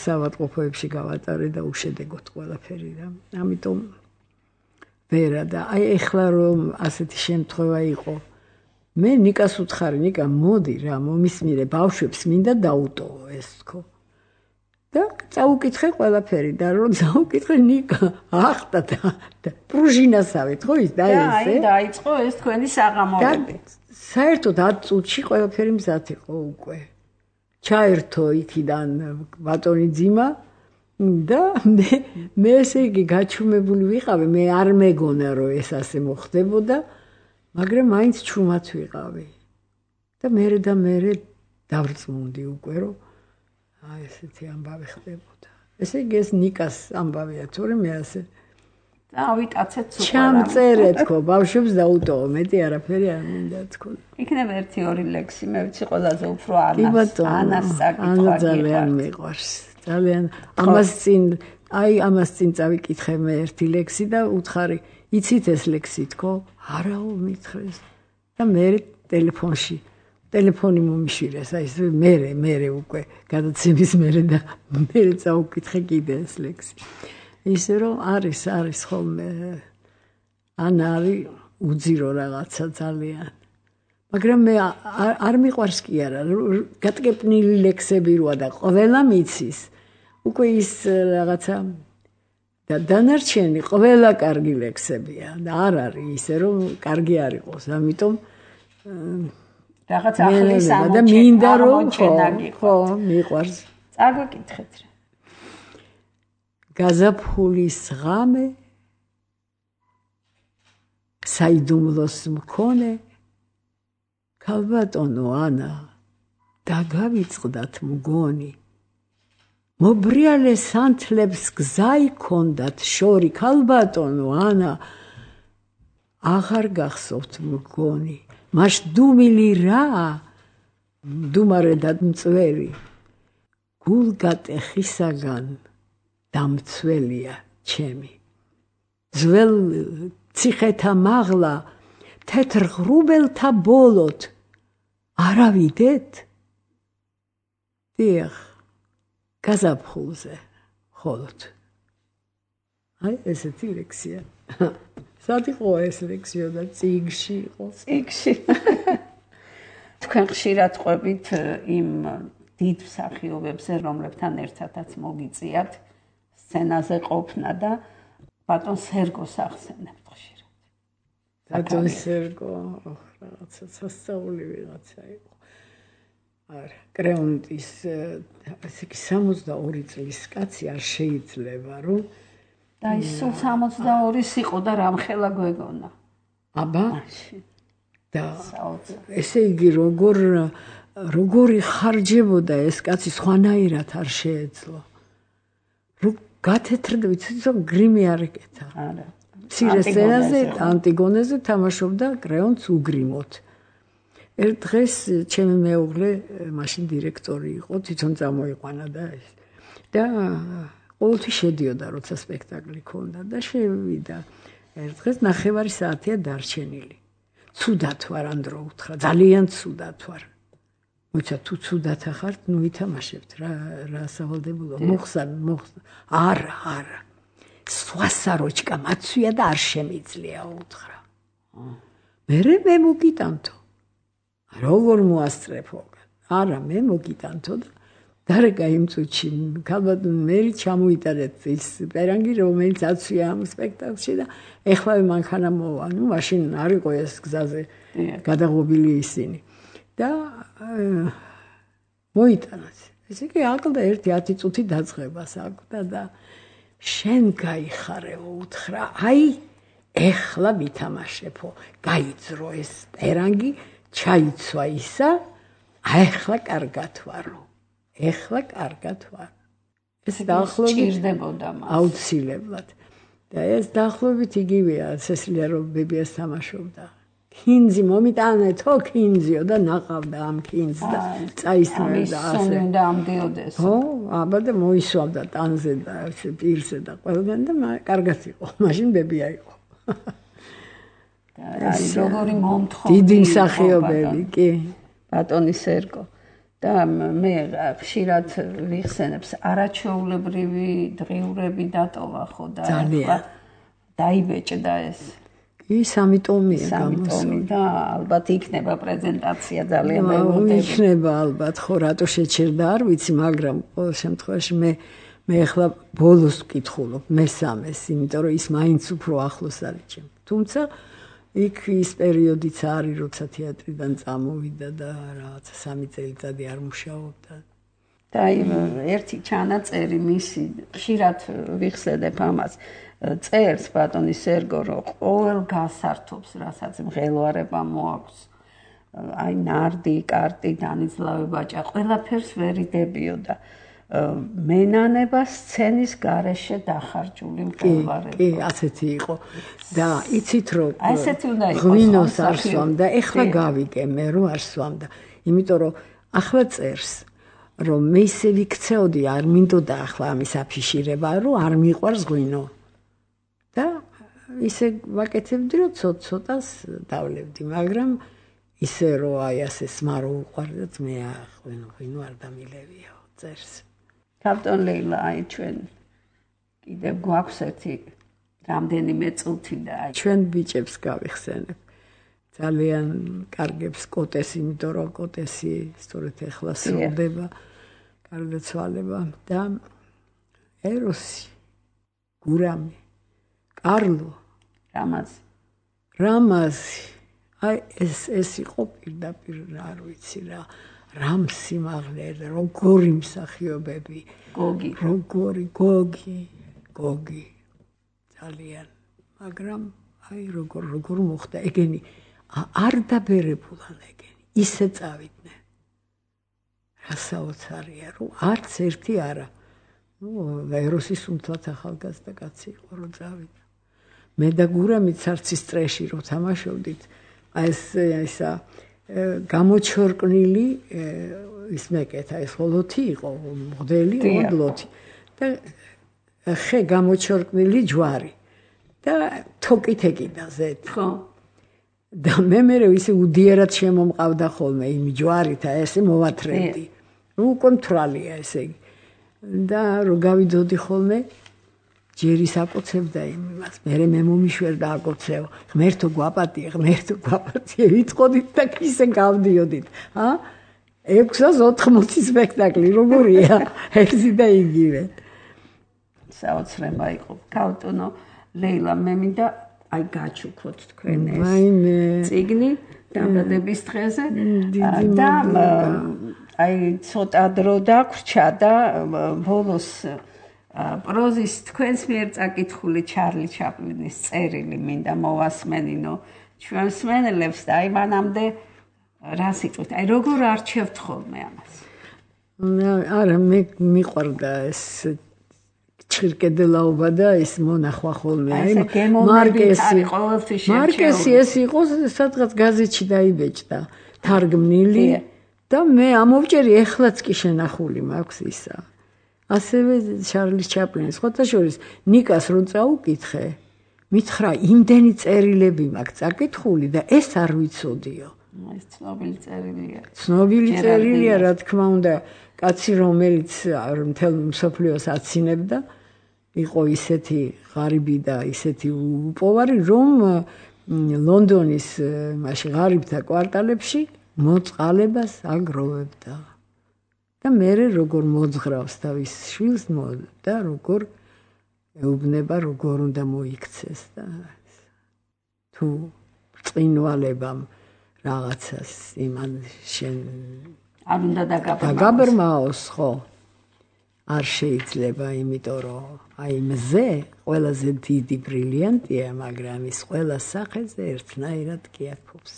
საავადმყოფოებში გავატარე და უშედეგოდ ყველაფერი და ამიტომ ვერა და აი ეხლა რომ ასეთი შემთხვევა იყო, მე ნიკას უთხარი, ნიკა მოდი რა, მომისმინე ბავშვებს მინდა დაუტოვო ეს თქო. და წაუკითხე ყველაფერი და რომ წაუკითხე ნიკა ახტა და პრუჟინასავით ხო ის და ესე. აი დაიწყო ეს თქვენი საღამოები. საერთოდ 10 წუთში ყველაფერი მზად იყო უკვე. ჩაერთო იქიდან ბატონი ძიმა და მე ესე იგი გაჩუმებული ვიყავი, მე არ მეგონა რომ ეს ასე მოხდებოდა, მაგრამ მაინც ჩუმად ვიყავი. და მე დავრწმუნდი უკვე რომ აი ესეთი ამბავი ხდებოდა. ესე იგი ეს ნიკას ამბავია, თორემ მე ასე ავიტაცეთ სულ. ჩამწერე თქო, ბავშვებს დაუტოვო, მეტი არაფერი არ მინდა თქო. იქნება 1-2 ლექსი, მე ვიცი ყველაზე უფრო ანას საკითხვა ძალიან მიყვარს. ძალიან ამას წინ წავიკითხე მე 1 ლექსი და უთხარი, იცით ეს ლექსი თქო? არაო მითხრეს. და მე ტელეფონი მომიშვირეს, აი ეს მე უკვე გადაცემის მერე და მე წავიკითხე კიდე ეს ლექსი. ისე რომ არის ხოლმე ან არის უძირო რაღაცა ძალიან. მაგრამ მე არ მიყვარს კი არა გატკეპნილი ლექსები როა და ყველა მიცის უკვე ის რაღაცა და დანარჩენი ყველა კარგი ლექსებია და არ არის ისე რომ კარგი არ იყოს ამიტომ რაღაც ახლის და მინდა რომ ხო მიყვარს წაგვიკითხეთ რა გაზაფხულის ღამე საიდუმლოს მქონე ქალბატონო ანა დაგავიწყდათ მგონი მობრიალე სანთლებს გზაი ქონდათ შორი ქალბატონო ანა აღარ გახსოვთ მგონი მაშ დუმილი რა დუმარე და მწვერი გულგატეხისაგან დამცველია ჩემი ძველ ციხეთა მაღლა თეთრ ღრუბელთა ბოლოთ არავიდეთ დიახ გაზაფხულზე ხოლოდ აი ესეთი ლექსია სად იყო ეს ლექსია და წიგში იყო წიგში თქვენ ხშირად ყვებით იმ დიდ მსახიობებზე რომლებთან ერთადაც მოგიწიათ სცენაზე ყოფნა და ბატონ სერგოს ახსენებთ ხშირად ბატონ სერგო რაღაცა სასწაული ვიღაცა იყო არა კრეონტის ესე იგი 62 წლის კაცი არ შეიძლება რომ და ის 62-ის იყო და რამხელა გვეგონა აბა და ესე იგი როგორი ხარჯებოდა ეს კაცი სხვანაირად არ შეეძლო რომ გათეთრდა ვიცი რომ გრიმი არ ეკეთა არა მცირე სცენაზე ანტიგონეზე თამაშობდა კრეონტს უგრიმოთ ერთ დღეს ჩემი მეუღლე მაშინ დირექტორი იყო თვითონ წამოიყვანა და ეს და ყოველთვის შედიოდა როცა სპექტაკლი ქონდა და შევიდა ერთ დღეს 9 საათია დარჩენილი ცუდად ვარ ანდრო უთხრა ძალიან ცუდად ვარ მოიცა თუ ცუდად ახართ ნუ ითამაშებთ რა სავალდებულო მოხსან არა სვასაროჩკა მაცვია და არ შემიძლია უთხრა მე მოგიტანთო როგორ მოასწრებო არა მე მოგიტანთო და დარეკა იმ წუთში ქალბატონ მერი ჩამოიტანეთ ის პერანგი რომელიც აცვია ამ სპექტაკლში და ეხლა მანქანა მოვა ნუ მაშინ არ იყო ეს გზაზე გადაღობილი ისინი და მოიტანათ ესე იგი აკლდა 1-10 წუთი დაწყებას აკლდა და შენ გაიხარე უთხრა აი ეხლა ვითამაშებო გაიძრო ეს პერანგი ჩაიცვა ისა ეხლა კარგად ვარო ეხლა კარგად ვარ ეს დაახლოებით ჭირდებოდა მას აუცილებლად და ეს დაახლოებით იგივეა სესილია რომ ბებიას თამაშობდა კინზი მომიტანეთო კინზიო და ნაყავდა ამ კინზს და წაისმენდა ასე და ამდიოდეს ხო აბა და მოისვამდა ტანზე და პირზე და ყველგან და კარგად იყო მაშინ ბებია იყო და როგორი მომთხოვი დიდი მსახიობები კი ბატონი სერგო და მე ხშირად ვიხსენებს არაჩვეულებრივი დღიურები დატოვა ხო და დაიბეჭდა ეს კი 3 ტომია გამოსული და ალბათ იქნება პრეზენტაცია ძალიან მეუბნები იქნება ალბათ ხო რატო შეჩერდა არ ვიცი მაგრამ ყოველ შემთხვევაში მე ახლა ბოლოს ვკითხულობ მესამეს იმიტომ რომ ის მაინც უფრო ახლოს არის ჩემ თუმცა იქ ის პერიოდიც არის როცა თეატრიდან წამოვიდა და რაღაცა 3 წელიწადი არ მუშაობდა და ერთი ჩანაწერი მისი ხშირად ვიხსენებ ამას წერს ბატონი სერგო რომ ყოველ გასართობს რასაც მღელვარება მოაქვს აი ნარდი კარტი განიზლავებაჭა ყველაფერს ვერიდებიო და მენანება სცენის გარეშე დახარჯული მღელვარება კი ასეთი იყო და იცით რომ ასეთი უნდა იყოს ღვინოს არ სვამდა ეხლა გავიგე მე რომ არ სვამდა იმიტომ რომ ახლა წერს რომ მე ისე ვიქცეოდი არ მინდოდა ახლა ამის აფიშირება რომ არ მიყვარს ღვინო და ისე ვაკეთებდი რომ ცოტას დავლევდი მაგრამ ისე რომ აი ასე სმარო უყვარდათ მე ღვინო არ დამილევიო წერს ბატონ ლეილა აი ჩვენ კიდევ გვაქვს ერთი რამდენიმე წუთი და ჩვენ ბიჭებს გავიხსენებ ძალიან კარგებს კოტეს, იმიტომ რომ კოტესი სწორედ ეხლა სრულდება, გარდაცვალება და ეროსი, გურამი, კარლო, რამაზი. აი ეს იყო პირდაპირ არ ვიცი რა რამსიმაღლე, როგორი მსახიობები, გოგი ძალიან, მაგრამ აი როგორ მოხდა ეგენი არ დაბერებულან ეგენი, ისე წავიდნენ. რა საოცარია, რომ არც ერთი არა. ეროსის უმთლად ახალგაზრდა კაცი იყო, რომ წავიდა. მე და გურამიც არც ის წრეში რომ თამაშობდით, ესა გამოჩორკნილი ის მეკეთა, ეს ლოთი იყო, მღვდელი ლოთი და ხე გამოჩორკნილი ჯვარი და თოკით ეკიდა ზეთ. ხო. და მე ისე უდიერად შემომყავდა ხოლმე იმ ჯვარით, ესე მოვათრევდი. უკვე მთვრალია ესე იგი. და რო გავიდოდი ხოლმე ჯერი საკოცებდა იმას, მე მომიშვერდა აკოცევ, ღმერთო გვაპატიე, ვიტყოდით და ისე გავდიოდით. 680 სპექტაკლი, როგორია, ერთი და იგივე. საოცრება იყო. ქალტონო ლეილა, მე მინდა აი გაჩუქოთ თქვენ ეს წიგნი დამტადების დღეზე და აი ცოტა დრო დაგვრჩა და ბოლოს პროზის თქვენს მიერ წაკითხული ჩარლი ჩაპლინის წერილი მინდა მოვასმენინო ჩვენ მსმენელებს და აი მანამდე რა სიტყვით, აი როგორ არჩევთ ხოლმე ამას? არა, მე მიყვარდა ეს ჩირკედელაობა და ეს მონახვა ხოლმე. აი მარკესი ეს იყო სადღაც გაზეთში დაიბეჭდა, თარგმნილი და მე ამოვჭერი ეხლაც კი შენახული მაქვს ისა. ასევე ჩარლის ჩაპლინის ხოთაშორის ნიკას რო წაუკითხე, მითხრა იმდენი წერილები მაქვს წაკითხული და ეს არ ვიცოდიო. ეს ცნობილი წერილია. ცნობილი წერილია, რა თქმა უნდა, კაცი რომელიც მთელ მსოფლიოს აცინებდა, იყო ისეთი ღარიბი და ისეთი უპოვარი, რომ ლონდონის მაშინ ღარიბთა კვარტალებში მოწყალებას აგროვებდა. და მე როგორ მოძღრავს თავის შვილს და როგორ ეუბნება, როგორ უნდა მოიქცეს და თუ წინვალებამ რაღაცას იმან შენ არ უნდა დაგაბრმაოს, ხო? არ შეიძლება, იმიტომ რომ აი მზე ყველაზე დიდი ბრილიანტია, მაგრამ ის ყველა სახეზე ერთნაირად კი აქობს.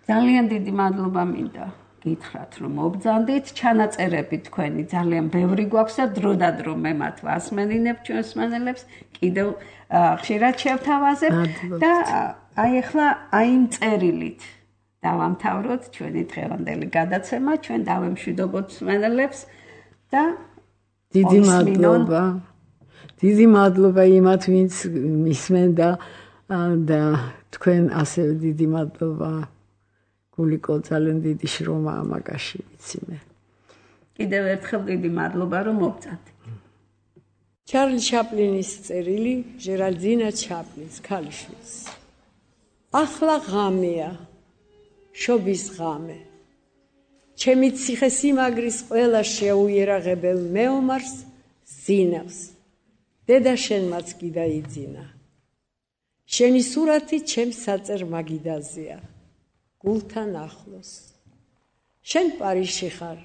ძალიან დიდი მადლობა მინდა გითხრათ, რომ მობრძანდით, ჩანაწერები თქვენი ძალიან ბევრი გვაქვს და დრო მე მათ ვასმენინებ ჩვენს მსმენელებს, კიდევ ხშირად შევთავაზებ და აი ახლა აი იმ წერილით დავამთავროთ ჩვენი დღევანდელი გადაცემა, ჩვენ დავემშვიდობოთ მსმენელებს და დიდი მადლობა იმათ, ვინც მისმენ და თქვენ ასევე დიდი მადლობა გულიკო, ძალიან დიდი შრომა ამაკაში ვიცი მე. კიდევ ერთხელ დიდი მადლობა რომ მობრძანდით. ჩარლი ჩაპლინის წერილი ჟერალდინა ჩაპლინს ქალიშვილს. ახლა ღამეა, შობის ღამე. ჩემი ციხესიმაგრის ყველა შეუიერაღებელ მეომარს ზინავს. დედა შენმაც კი დაიძინა. შენი სურათი ჩემს საწერ მაგიდაზეა. გულთან ახლოს. შენ პარიზში ხარ.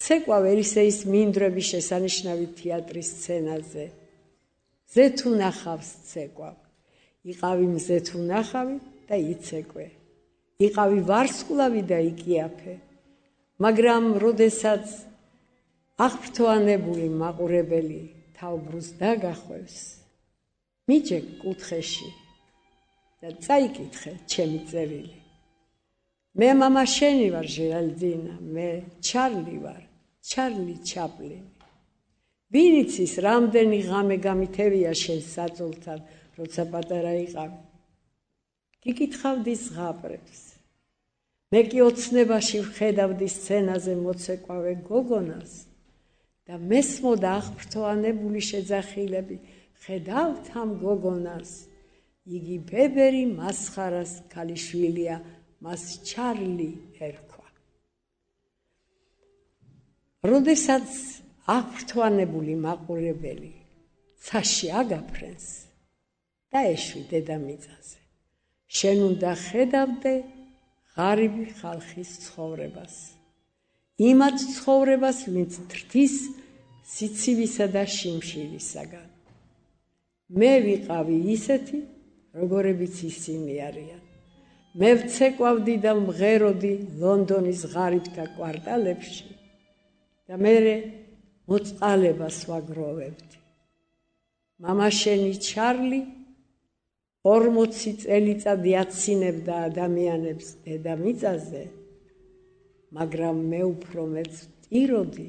ცეკვა ვერისეის მინდვრების შესანიშნავი თეატრის სცენაზე. მზე თუ ნახავს ცეკვა. იყავი მზე თუ ნახავი და იცეკვე. იყავი ვარსკვლავი და იკიაფე. მაგრამ როდესაც აღფრთოვანებული მაყურებელი თავბრუს დაგახვევს, მიჯეկ კუთხეში და წაიკითხე ჩემი წერილი. მე მამა შენი ვარ ჟერალდინა, მე ჩარლი ვარ, ჩარლი ჩაპლინი. ვინ იცის რამდენი ღამე გამითევია შენ საძოლთან, როცა პატარა იყავი. გიკითხავდი ზღაპრებს. მე კი ოცნებაში ვხედავდი სცენაზე მოცეკვავე გოგონას და მესმოდა აღფრთოვანებული შეძახილები. ხედავთ ამ გოგონას, იგი ბებერი მასხარას ქალიშვილია, მას ჩარლი ერქვა. როდესაც აღფრთოვანებული მაყურებელი ცაში აგაფრენს და ეშვი დედამიწაზე, შენ უნდა ხედავდე ღარიბი ხალხის ცხოვრებას, იმათ ცხოვრებას, ვინც თრთის სიცივისა და შიმშილისაგან. მე ვიყავი ისეთი, როგორებიც ისინი არიან. მე ვცეკვავდი და მღეროდი ლონდონის ღარიბთა კვარტალებში და მერე მოწყალებას ვაგროვებდი. მამა შენი ჩარლი 40 წელიწადი აცინებდა ადამიანებს დედამიწაზე, მაგრამ მე უფრო მეც ვტიროდი,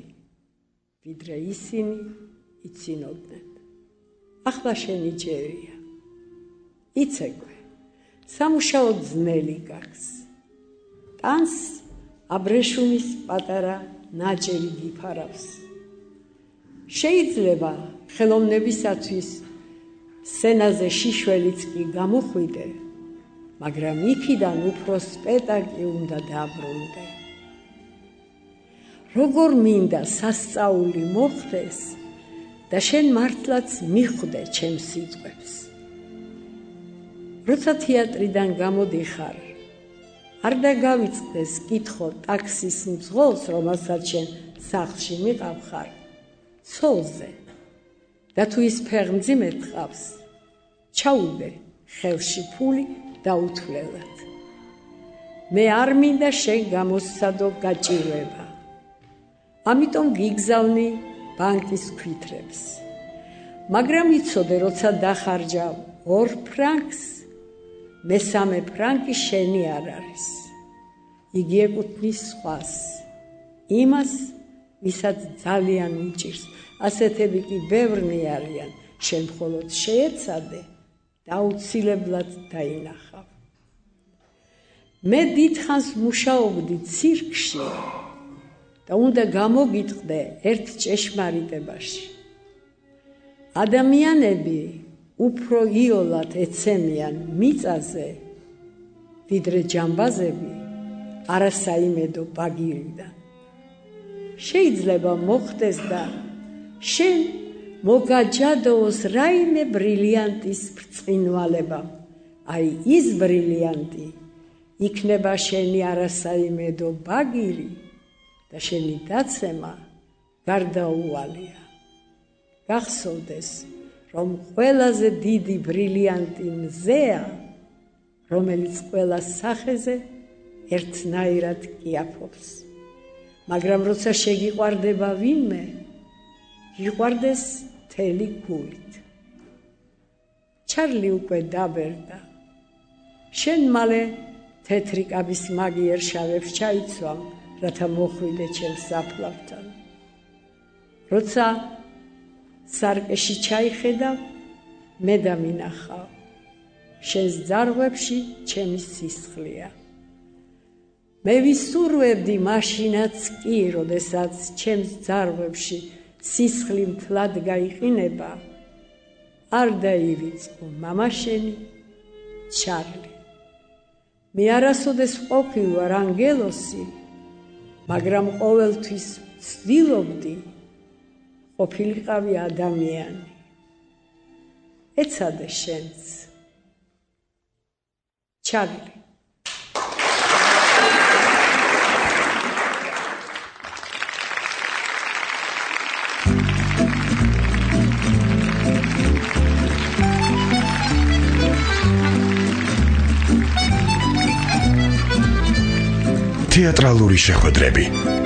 ვიდრე ისინი იცინოდნენ. ახლა შენი ჯერია. იცეკვე, სამუშაო ძნელი გაქვს. ტანს აბრეშუმის პატარა ნაჭერი გიფარავს. შეიძლება ხელოვნებისათვის სცენაზე შიშველიც კი გამოხვიდე, მაგრამ იქიდან უფრო სპექტაკლი უნდა დაბრუნდე. როგორ მინდა სასწაული მოხდეს და შენ მართლაც მიხვდე ჩემს სიტყვებს. როცა თეატრიდან გამოდიხარ, არ დაგავიწყდეს კითხო ტაქსის მძღოლს, რომელსაც შენ სახლში მიყავხარ, ცოლზე. და თუ ის ფეხმძიმედ ყავს, ჩაუდე ხელში ფული დაუთვლელად. მე არ მინდა შენ გამოსცადო გაჭირვება. ამიტომ გიგზავნი ბანკის ქვითრებს. მაგრამ იცოდე, როცა დახარჯავ 2 ფრანკს, მესამე ფრანკი შენი არ არის. იგი ეკუთვნის სხვას, იმას, ვისაც ძალიან უჭირს. ასეთები კი ბევრნი არიან, შენ მხოლოდ შეეცადე და აუცილებლად დაინახავ. მე დიდხანს მუშაობდი ცირკში და უნდა გამოგიტყდე ერთ ჭეშმარიტებაში. ადამიანები უფრო იოლად ეცემიან მიწაზე, ვიდრე ჯამბაზები არასაიმედო ბაგირიდან. შეიძლება მოხდეს და შენ მოგაჯადოოს რაიმე ბრილიანტის ბრწყინვალება, აი ის ბრილიანტი იქნება შენი არასაიმედო ბაგირი და შენი დაცემა გარდაუვალია. გახსოვდეს, რომ ყველაზე დიდი ბრილიანტი მზეა, რომელიც ყველა სახეზე ერთნაირად კიაფობს. მაგრამ როცა შეგიყვარდება ვინმე, გიყვარდეს მთელი გულით. ჩარლი უკვე დაბერდა. შენ მალე თეთრი კაბის მაგიერ შავებს ჩაიცვამ, რათა მოხვიდე ჩემს საფლავთან. როცა სარკეში ჩაიხედავ, მე დამინახავ. შენს ძარღვებში ჩემი სისხლია. მე ვისურვებდი მაშინაც კი, როდესაც ჩემს ძარღვებში სისხლი მთლად გაიყინება, არ დაივიწყო მამა შენი ჩარლი. მე არასოდეს ვყოფილ ვარ ანგელოსი, მაგრამ ყოველთვის ვცდილობდი ყოფილიყავი ადამიანი. ეცადე შენც. ჩარლი. თეატრალური შეხვედრები